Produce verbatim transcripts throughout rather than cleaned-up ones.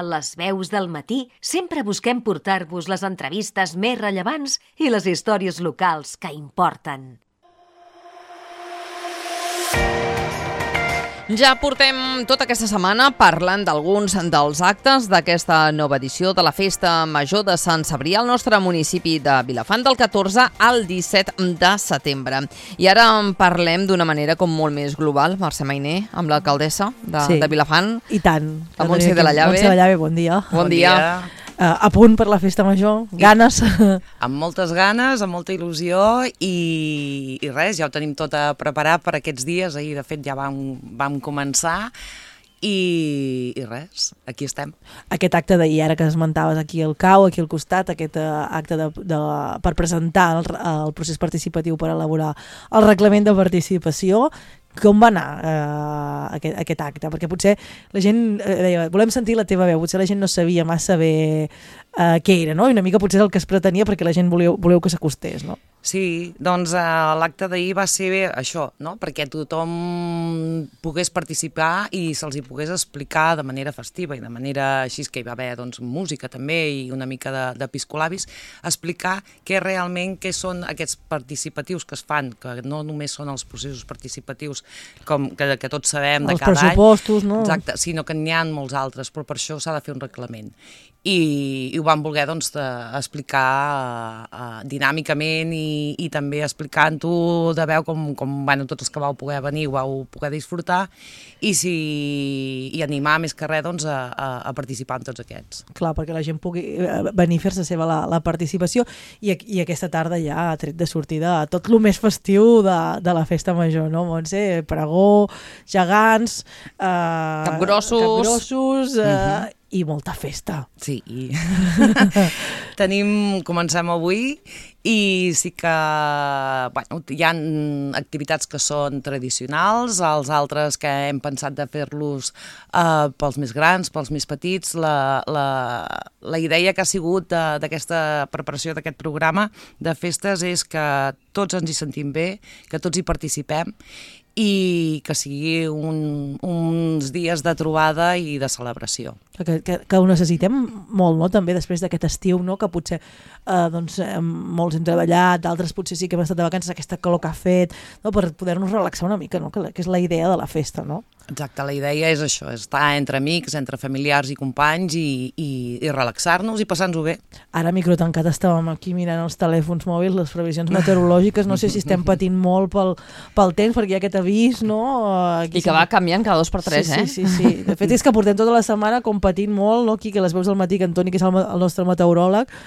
A les veus del matí sempre busquem portar-vos les entrevistes més rellevants i les històries locals que importen. Ja portem tota aquesta setmana parlant d'alguns dels actes d'aquesta nova edició de la Festa Major de Sant Cebrià al nostre municipi de Vilafant del catorze al disset de setembre. I ara en parlem d'una manera com molt més global. Mercè Mainer, amb l'alcaldessa de, sí. de Vilafant. I tant. La Montse de la Llave. Montse de la Llave, bon dia. Bon, bon dia. dia. Uh, a punt per la Festa Major, ganes. Amb moltes ganes, amb molta il·lusió i, i res, ja ho tenim tot a preparar per aquests dies. Ahir, de fet, ja vam, vam començar i, i res, aquí estem. Aquest acte d'ahir, ara que esmentaves aquí al C A U, aquí al costat, aquest uh, acte de, de, per presentar el, el procés participatiu per elaborar el reglament de participació. Com va anar eh, aquest, aquest acte? Perquè potser la gent eh, deia, volem sentir la teva veu, potser la gent no sabia massa bé eh, què era, no? I una mica potser el que es pretenia perquè la gent voleu, voleu que s'acostés, no? Sí, doncs eh, l'acte d'ahir va ser bé això, no? Perquè tothom pogués participar i se'ls hi pogués explicar de manera festiva i de manera així que hi va haver doncs, música també i una mica de, de piscolabis, explicar què realment què són aquests participatius que es fan, que no només són els processos participatius com que, que tots sabem de els cada any. Els pressupostos, no? Exacte, sinó que n'hi ha molts altres, però per això s'ha de fer un reglament. I, i ho vam voler doncs, de, explicar uh, dinàmicament i, i també explicant-ho de veu com, com bueno, tots els que vau poder venir ho vau poder disfrutar i, si, i animar més que res doncs, a, a, a participar en tots aquests. Clar, perquè la gent pugui venir a fer-se seva la, la participació i, i aquesta tarda ja ha tret de sortida tot el més festiu de, de la Festa Major, no, Montse? Pregó, gegants, eh, capgrossos, capgrossos eh, uh-huh. i molta festa. Sí, i tenim, comencem avui i sí que bueno, hi ha activitats que són tradicionals, els altres que hem pensat de fer-los eh, pels més grans, pels més petits. La, la, la idea que ha sigut d'aquesta preparació d'aquest programa de festes és que tots ens hi sentim bé, que tots hi participem i que sigui un, uns dies de trobada i de celebració. Que, que, que ho necessitem molt, no? També després d'aquest estiu, no? Que potser eh, doncs, eh, molts hem treballat, d'altres potser sí que hem estat de vacances, aquesta calor que ha fet, no? Per poder-nos relaxar una mica, no? Que, que és la idea de la festa, no? Exacte, la idea és això, és estar entre amics, entre familiars i companys i, i, i relaxar-nos i passar-nos-ho bé. Ara, micro tancat, estàvem aquí mirant els telèfons mòbils, les previsions meteorològiques, no sé si estem patint molt pel, pel temps, perquè hi ha aquest avís, no? Aquí I que va canviant cada dos per tres, sí, eh? Sí, sí, sí. De fet, és que portem tota la setmana com patint molt, no? Aquí, que les veus del matí, que Antoni, que és el, el nostre meteoròleg,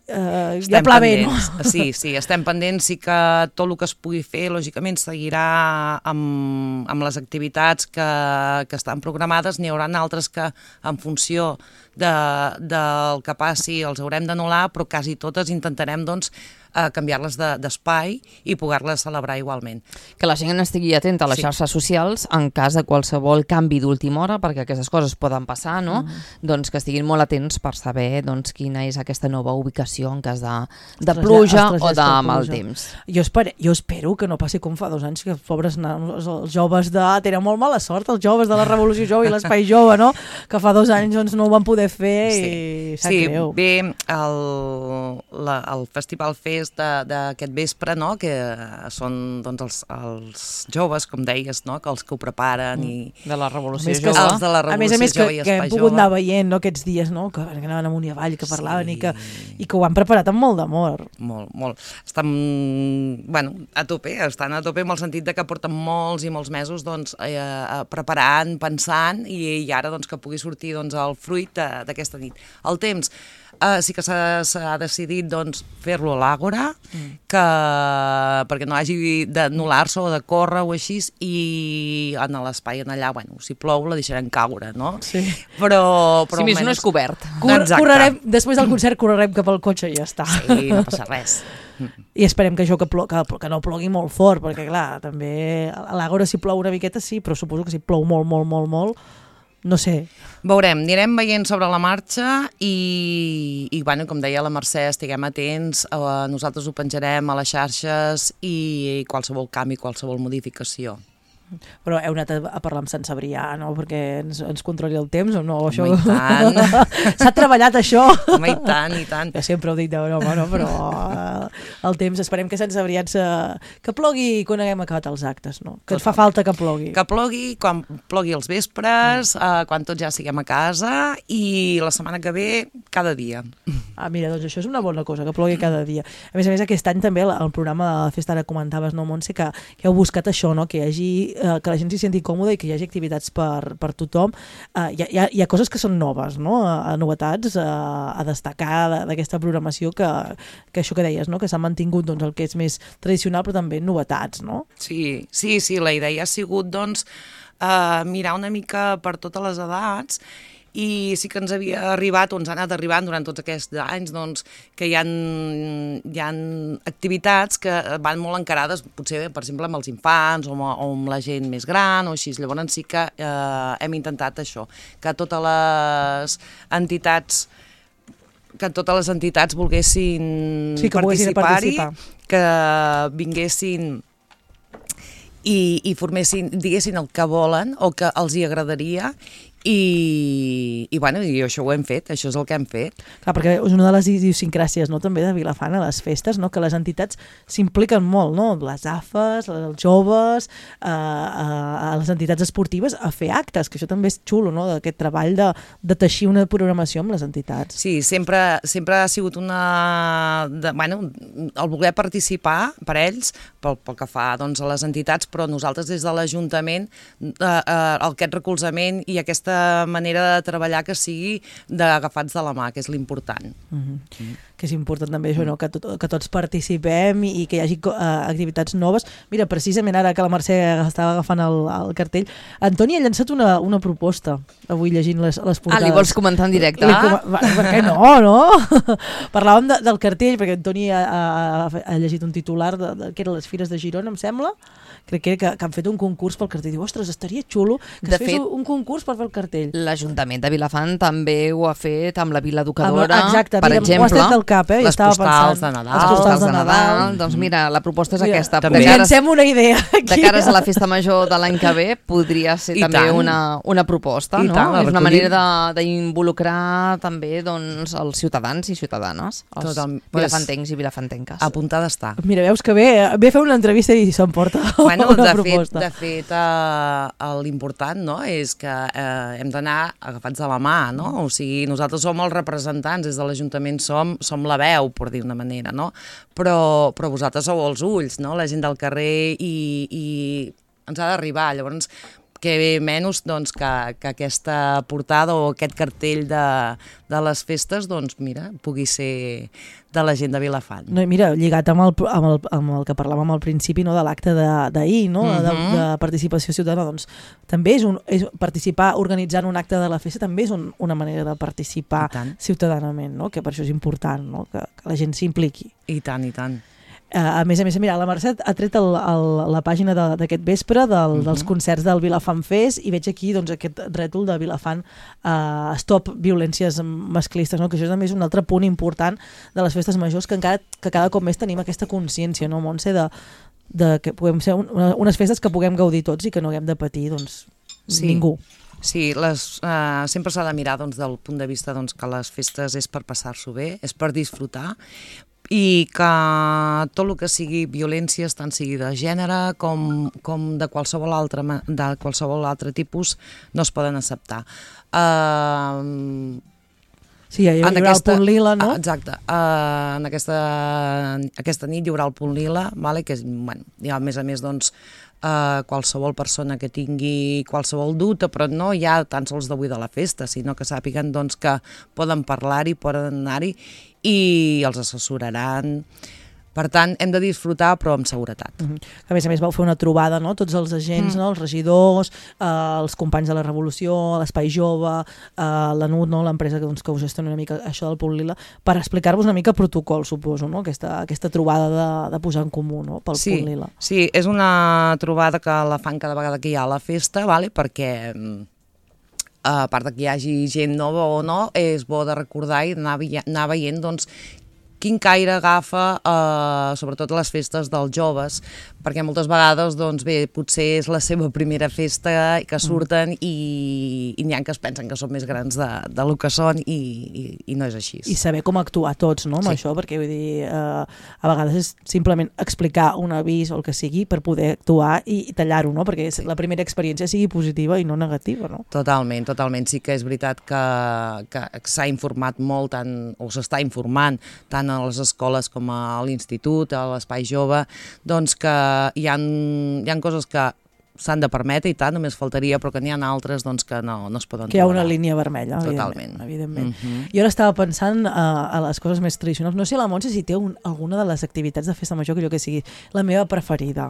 Uh, ja pla bé, no? Sí, sí, estem pendents, sí que tot el que es pugui fer, lògicament, seguirà amb, amb les activitats que, que estan programades. N'hi haurà altres que, en funció de, del que passi, els haurem d'anul·lar, però quasi totes intentarem, doncs, a canviar-les d'espai i poder-les celebrar igualment. Que la gent estigui atenta a les sí. xarxes socials en cas de qualsevol canvi d'última hora, perquè aquestes coses poden passar, no? Mm. Doncs que estiguin molt atents per saber doncs, quina és aquesta nova ubicació en cas de, de pluja o de mal temps. Jo, espero, jo espero que no passi com fa dos anys, que els pobres nanos, els joves de... Tenen molt mala sort, els joves de la Revolució Jove i l'Espai Jove, no? Que fa dos anys doncs, no ho van poder fer sí. i sap sí, greu. Bé, el, la, el Festival Fest d'aquest vespre, no? Que són doncs, els, els joves, com deies, no? Que els que ho preparen i... De la Revolució Jove. Els de la Revolució a més a més que, Jove i que hem Espai pogut Jove. anar veient, no? Aquests dies, no? Que anaven amunt i avall, que parlaven sí. i, que, i que ho han preparat amb molt d'amor. Molt, molt. Estan, bueno, a tope, estan a tope amb el sentit de que porten molts i molts mesos doncs, eh, preparant, pensant i, i ara doncs, que pugui sortir doncs, el fruit d'aquesta nit. El temps, Uh, sí que s'ha decidit doncs, fer-lo a l'Àgora, mm. que, perquè no hagi d'anul·lar-se o de córrer o així, i en l'espai en allà, bueno, si plou la deixarem caure, no? Sí. Però, però si més no és cobert. Cor correrem, després del concert correrem cap al cotxe i ja està. Sí, no passa res. I esperem que això que, plo que, que no plogui molt fort, perquè clar, també a l'Àgora si plou una miqueta sí, però suposo que si plou molt, molt, molt, molt, no sé. Veurem, anirem veient sobre la marxa i, i bueno, com deia la Mercè, estiguem atents, eh, nosaltres ho penjarem a les xarxes i qualsevol canvi, qualsevol modificació. Però heu anat a, a parlar amb Sant Cebrià, no? Perquè ens, ens controli el temps o no? Això... Home, i tant. S'ha treballat això? Home, i tant, i tant. Jo sempre ho dic de broma, no? Però eh, el temps, esperem que Sant Cebrià ens... que plogui quan haguem acabat els actes, no? Que ens fa falta que plogui. Que plogui, quan plogui els vespres, mm. eh, quan tots ja siguem a casa, i la setmana que ve, cada dia. Ah, mira, doncs això és una bona cosa, que plogui cada dia. A més a més, aquest any també el programa de la festa, ara comentaves, no, Montse, que, que heu buscat això, no? Que hi hagi que la gent s'hi senti còmoda i que hi hagi activitats per, per tothom. Uh, hi, ha, hi ha coses que són noves, no? Uh, novetats uh, a destacar d'aquesta programació que, que això que deies, no? Que s'ha mantingut doncs, el que és més tradicional, però també novetats, no? Sí, sí, sí, la idea ha sigut doncs, uh, mirar una mica per totes les edats, i sí que ens havia arribat, o ens ha anat arribant durant tots aquests anys, doncs, que hi ha, hi ha activitats que van molt encarades, potser, per exemple, amb els infants o amb, o amb la gent més gran o així. Llavors sí que eh, hem intentat això, que totes les entitats que totes les entitats volguessin sí, que participar-hi, que vinguessin i, i formessin, diguessin el que volen o que els hi agradaria. I, i, bueno, i això ho hem fet, això és el que hem fet. Clar, perquè és una de les idiosincràsies, no, també de Vilafant a les festes, no, que les entitats s'impliquen molt, no, les A F Es, els joves, eh, a les entitats esportives a fer actes, que això també és xulo, no, d'aquest treball de, de teixir una programació amb les entitats. Sí, sempre, sempre ha sigut una... De, bueno, el voler participar per ells, pel, pel que fa doncs, a les entitats, però nosaltres des de l'Ajuntament, eh, eh, aquest recolzament i aquesta manera de treballar que sigui d'agafats de la mà, que és l'important. Mm-hmm. Mm. Que és important també això, no? que, tot, que tots participem i, i que hi hagi uh, activitats noves. Mira, precisament ara que la Mercè estava agafant el, el cartell, Antoni ha llançat una, una proposta, avui llegint les, les portades. Ah, li vols comentar en directe? Ah? Per què no, no? Parlàvem de, del cartell, perquè Antoni ha, ha, ha llegit un titular de, de, que eren les Fires de Girona, em sembla, crec que, que, que han fet un concurs pel cartell. Diu, ostres, estaria xulo que es fes fet, un concurs per fer el cartell. L'Ajuntament de Vilafant també ho ha fet amb la Vila Educadora, exacte, per mira, exemple. Ho has tret del cap, eh? Les Estava postals pensant. de Nadal. Les postals de Nadal. Nadal. Doncs mira, la proposta és mira, aquesta. També. Llancem una idea aquí. De cares a la festa major de l'any que ve podria ser I també tant. una, una proposta, I no? tant, és una recollim. manera d'involucrar també doncs, els ciutadans i ciutadanes, els Total, vilafantencs i vilafantenques. Apuntada està. Mira, veus que ve, ve a fer una entrevista i s'emporta Bueno, una de proposta. fet, de fet eh, l'important, no?, és que eh, hem d'anar agafats de la mà, no? O sigui, nosaltres som els representants, des de l'Ajuntament som, som la veu, per dir una manera, no? Però, però vosaltres sou els ulls, no?, la gent del carrer, i, i ens ha d'arribar. Llavors, que menys doncs, que, que aquesta portada o aquest cartell de, de les festes, doncs mira, pugui ser de la gent de Vilafant. No, mira, lligat amb el, amb el, amb el que parlàvem al principi, no, de l'acte d'ahir, no, uh-huh. de, de participació ciutadana, doncs també és, un, és participar organitzant un acte de la festa també és un, una manera de participar ciutadanament, no? Que per això és important, no? que, que la gent s'impliqui. I tant, i tant. Uh, a més a més, mira, la Mercè ha tret el, el, la pàgina d'aquest vespre del, uh-huh. dels concerts del Vilafant Fest, i veig aquí doncs, aquest rètol de Vilafant uh, Stop Violències Masclistes, no? Que això també és un altre punt important de les festes majors, que encara que cada cop més tenim aquesta consciència, no, Montse, de, de que puguem ser un, unes festes que puguem gaudir tots i que no haguem de patir doncs, sí. ningú. Sí, les, uh, sempre s'ha de mirar doncs, del punt de vista doncs, que les festes és per passar-s'ho bé, és per disfrutar, i que tot el que sigui violències, tant sigui de gènere com, com de, qualsevol altre, de qualsevol altre tipus, no es poden acceptar. Uh, sí, hi haurà aquesta, el punt lila, no? Exacte. Uh, en aquesta, aquesta nit hi haurà el punt lila, vale? Que és, bueno, ja, a més a més, doncs, uh, qualsevol persona que tingui qualsevol dubte, però no ja tan sols d'avui de la festa, sinó que sàpiguen doncs, que poden parlar-hi, poden anar-hi, i els assessoraran. Per tant, hem de disfrutar, però amb seguretat. Uh-huh. A més a més, vau fer una trobada, no?, tots els agents, mm. no?, els regidors, eh, els companys de la Revolució, l'Espai Jove, eh, la N U T, no?, l'empresa que, doncs, que us gestiona una mica això del Punt Lila, per explicar-vos una mica protocol, suposo, no?, aquesta, aquesta trobada de, de posar en comú, no?, pel sí, Punt Lila. Sí, és una trobada que la fan cada vegada que hi ha a la festa, vale? Perquè a part que hi hagi gent nova o no, és bo de recordar i anar, anar veient doncs, quin caire agafa, eh, sobretot les festes dels joves, perquè moltes vegades, doncs bé, potser és la seva primera festa que surten i, i n'hi ha que es pensen que són més grans de, de lo que són i, i, i no és així. I saber com actuar tots, no, amb Sí. això, perquè vull dir, eh, a vegades és simplement explicar un avís o el que sigui per poder actuar i, i tallar-ho, no? Perquè sí. la primera experiència sigui positiva i no negativa, no? Totalment, totalment. Sí que és veritat que, que s'ha informat molt, tant, o s'està informant tant a les escoles com a l'institut, a l'espai jove, doncs que hi ha, hi ha coses que s'han de permetre i tant, només faltaria, però que n'hi ha altres doncs, que no, no es poden Que hi ha tolerar. una línia vermella, Totalment. evidentment. evidentment. Mm -hmm. Jo ara estava pensant uh, a les coses més tradicionals. No sé la Montse si té un, alguna de les activitats de festa major que jo que sigui la meva preferida.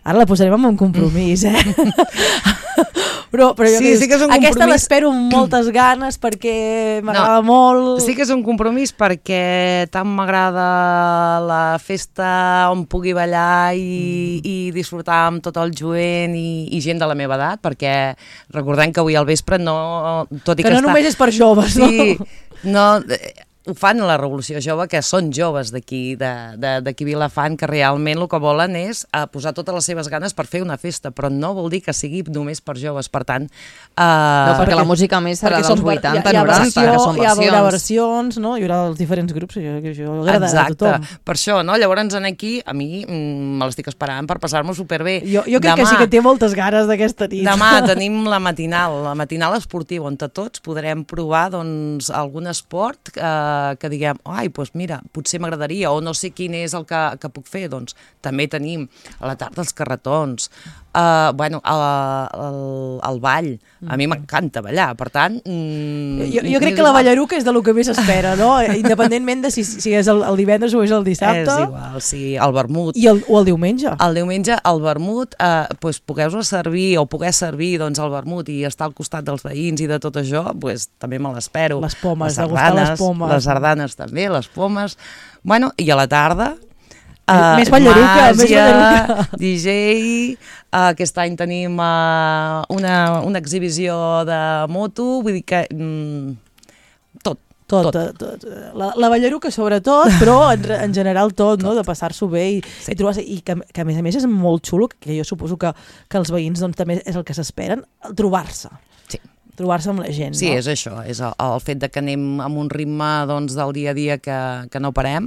Ara la posarem en un compromís, eh? però, però jo Sí, que sí que és un aquesta compromís. l'espero amb moltes ganes perquè m'agrada No, molt. Sí que és un compromís perquè tant m'agrada la festa on pugui ballar i, i disfrutar amb tot el jovent i, i gent de la meva edat, perquè recordem que avui al vespre no... Tot i que, que, no està... només és per joves, Sí, no? no... Ho fan a la Revolució Jove, que són joves d'aquí, d'aquí Vilafant, que realment el que volen és uh, posar totes les seves ganes per fer una festa, però no vol dir que sigui només per joves, per tant... Uh, No, perquè la música a més serà perquè dels són- vuitanta, hi ha, hi ha noranta, versió, que són hi ha, hi haurà versions. versions, no? Hi haurà els diferents grups, i això, això agradarà Exacte, a tothom. per això, no? Llavors en aquí, a mi mm, me l'estic esperant per passar-m'ho superbé. Jo, jo crec Demà, que sí que té moltes ganes d'aquesta nit. Demà tenim la matinal, la matinal esportiva, on tots podrem provar doncs, algun esport eh, que diguem, ai, doncs mira, potser m'agradaria, o no sé quin és el que, que puc fer, doncs també tenim a la tarda els carretons, uh, bueno, el, el, el ball, a mi m'encanta ballar, per tant... Mm, Jo, jo crec que la ballaruca és de lo que més s'espera, no? Independentment de si, si és el, el divendres o és el dissabte. És igual, sí, el vermut. I el, o el diumenge. El diumenge, el vermut, eh, doncs, pogueu-vos servir o poder servir doncs, el vermut i estar al costat dels veïns i de tot això, doncs, també me l'espero. Les pomes, les degustar les sardanes, pomes. Les sardanes també, les pomes. Bueno, i a la tarda... Més ballaruca, més ballaruca. D J, uh, aquest any tenim uh, una, una exhibició de moto, vull dir que... Mm, tot. Tot, Tot. tot. tot. La, la ballaruca sobretot, però en, en general tot, no? De passar-s'ho bé i, Sí. i trobar-se, i que, que a més a més és molt xulo, que jo suposo que, que els veïns doncs, també és el que s'esperen, trobar-se. Sí. Trobar-se amb la gent, Sí, no? és això, és el, el fet de que anem amb un ritme doncs, del dia a dia que, que no parem,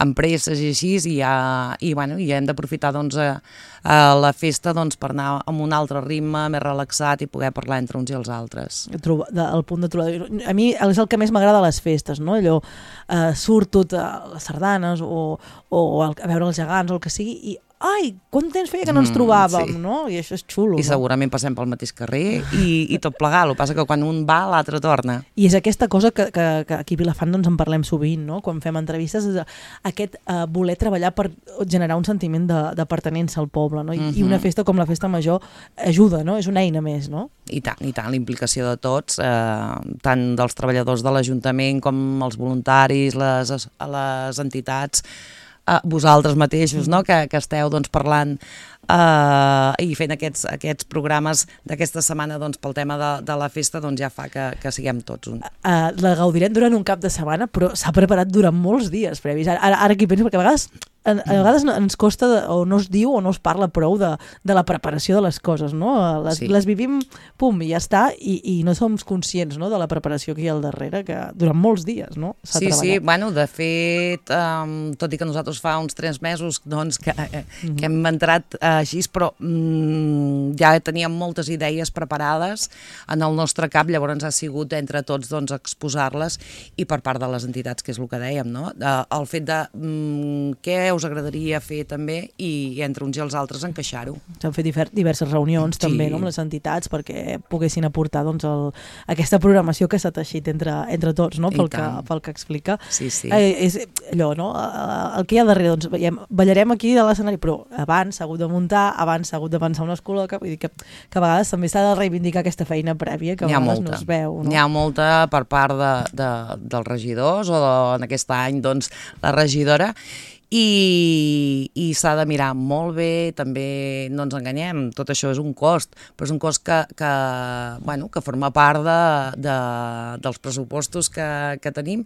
amb presses i així, i, ja, i, bueno, i hem d'aprofitar doncs, a, a la festa doncs, per anar amb un altre ritme, més relaxat i poder parlar entre uns i els altres. Trobar, de, el punt de trobar... A mi és el que més m'agrada a les festes, no? Allò, eh, surto a les sardanes o, o el, a veure els gegants o el que sigui i ai, quant temps feia que no ens Mm, trobàvem, sí. no? I això és xulo, I no? segurament passem pel mateix carrer i, i tot plegat, el que passa que quan un va l'altre torna. I és aquesta cosa que, que, que aquí a Vilafant doncs, en parlem sovint, no? Quan fem entrevistes, és aquest uh, voler treballar per generar un sentiment de, de pertenença al poble, no? I, Mhm. I una festa com la Festa Major ajuda, no? És una eina més, no? I tant, i tant, la implicació de tots, eh, tant dels treballadors de l'Ajuntament com els voluntaris, les, les entitats, eh, vosaltres mateixos, no? que, que esteu doncs, parlant eh, i fent aquests, aquests programes d'aquesta setmana doncs, pel tema de, de la festa, doncs ja fa que, que siguem tots un. Uh, la gaudirem durant un cap de setmana, però s'ha preparat durant molts dies previs. Ara, ara, ara aquí penso, perquè a vegades, a, a vegades ens costa, de, o no es diu o no es parla prou de, de la preparació de les coses, no? Les, Sí. les vivim, pum, i ja està, i, i no som conscients, no?, de la preparació que hi ha al darrere, que durant molts dies, no?, s'ha Sí, sí, treballat. bueno, de fet, um, tot i que nosaltres fa uns tres mesos doncs, que, eh, mm-hmm. que hem entrat eh, així, però mm, ja teníem moltes idees preparades en el nostre cap, llavors ha sigut entre tots doncs, exposar-les i per part de les entitats, que és el que dèiem, no? Eh, el fet de mm, què us agradaria fer també i, i entre uns i els altres encaixar-ho. S'han fet difer- diverses reunions Sí. també, no?, amb les entitats perquè poguessin aportar doncs, el, aquesta programació que s'ha teixit entre, entre tots, no?, I pel que, tant. pel que explica. Sí, sí. Eh, és allò, no?, eh, el que hi ha darrere, doncs veiem, ballarem aquí de l'escenari, però abans s'ha hagut de muntar, abans s'ha hagut de pensar una escola, vull dir que, que a vegades també s'ha de reivindicar aquesta feina prèvia que a N'hi ha vegades molta. no es veu. No? N'hi ha molta per part de, de, dels regidors o de, en aquest any doncs, la regidora i, i s'ha de mirar molt bé, també no ens enganyem, tot això és un cost, però és un cost que, que, bueno, que forma part de, de, dels pressupostos que, que tenim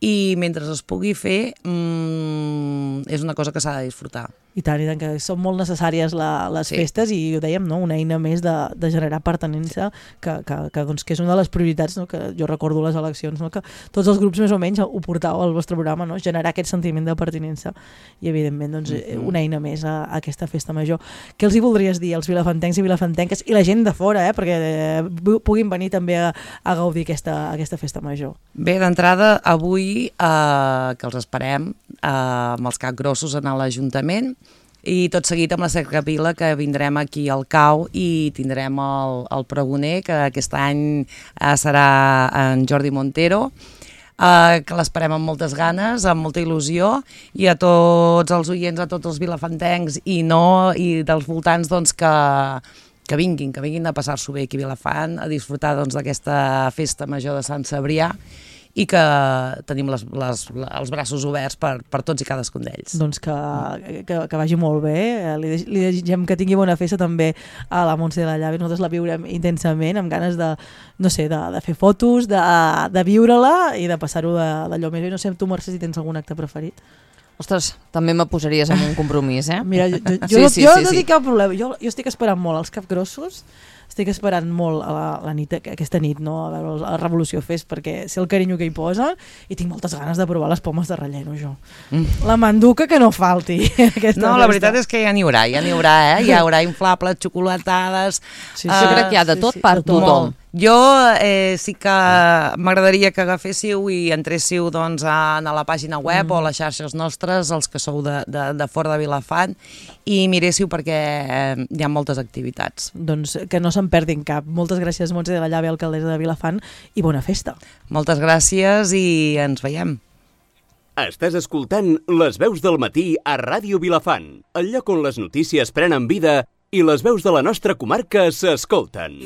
i mentre es pugui fer mmm, és una cosa que s'ha de disfrutar. I tant, i tant, que són molt necessàries la, les Sí. festes i ho dèiem, no? Una eina més de, de generar pertinença que, que, que, doncs, que és una de les prioritats, no? Que jo recordo les eleccions, no? Que tots els grups més o menys ho portàveu al vostre programa, no? Generar aquest sentiment de pertinença i evidentment doncs, Mm-hmm. una eina més a, a aquesta festa major. Què els hi voldries dir als vilafantencs i vilafantenques i la gent de fora, eh? Perquè eh, puguin venir també a, a gaudir aquesta, aquesta festa major? Bé, d'entrada, avui eh, que els esperem eh, amb els capgrossos a l'Ajuntament i tot seguit amb la cercavila que vindrem aquí al Cau i tindrem el, el pregoner, que aquest any eh, serà en Jordi Montero, eh, que l'esperem amb moltes ganes, amb molta il·lusió, i a tots els oients, a tots els vilafantencs i no, i dels voltants, doncs que que vinguin, que vinguin a passar-s'ho bé aquí a Vilafant, a disfrutar doncs, d'aquesta festa major de Sant Cebrià, i que tenim les, les, els braços oberts per, per tots i cadascun d'ells. Doncs que, que, que vagi molt bé. Li, li desitgem que tingui bona festa també a la Montse de la Llave. Nosaltres la viurem intensament, amb ganes de, no sé, de, de fer fotos, de, de viure-la i de passar-ho d'allò més bé. No sé, tu, Mercè, si tens algun acte preferit? Ostres, també me posaries en un compromís, eh? Mira, jo, jo, Sí, jo, sí, jo sí, no sí. tinc cap problema. Jo, jo estic esperant molt els capgrossos, estic esperant molt a la, la nit, aquesta nit, no? A veure la Revolució Fest, perquè sé el carinyo que hi posen i tinc moltes ganes de provar les pomes de relleno, jo. Mm. La manduca que no falti. No, la veritat és que ja n'hi haurà, ja n'hi haurà, eh? Hi haurà inflables, xocolatades... Sí, sí. Jo crec que hi ha de sí, tot sí, per de tot. tothom. Jo eh, sí que m'agradaria que agaféssiu i entréssiu doncs, a, a la pàgina web mm. o a les xarxes nostres, els que sou de, de, de fora de Vilafant, i miréssiu perquè eh, hi ha moltes activitats. Doncs que no se'n perdin cap. Moltes gràcies, Montse de la Llave, alcaldessa de Vilafant, i bona festa. Moltes gràcies i ens veiem. Estàs escoltant Les Veus del Matí a Ràdio Vilafant, el lloc on les notícies prenen vida i les veus de la nostra comarca s'escolten.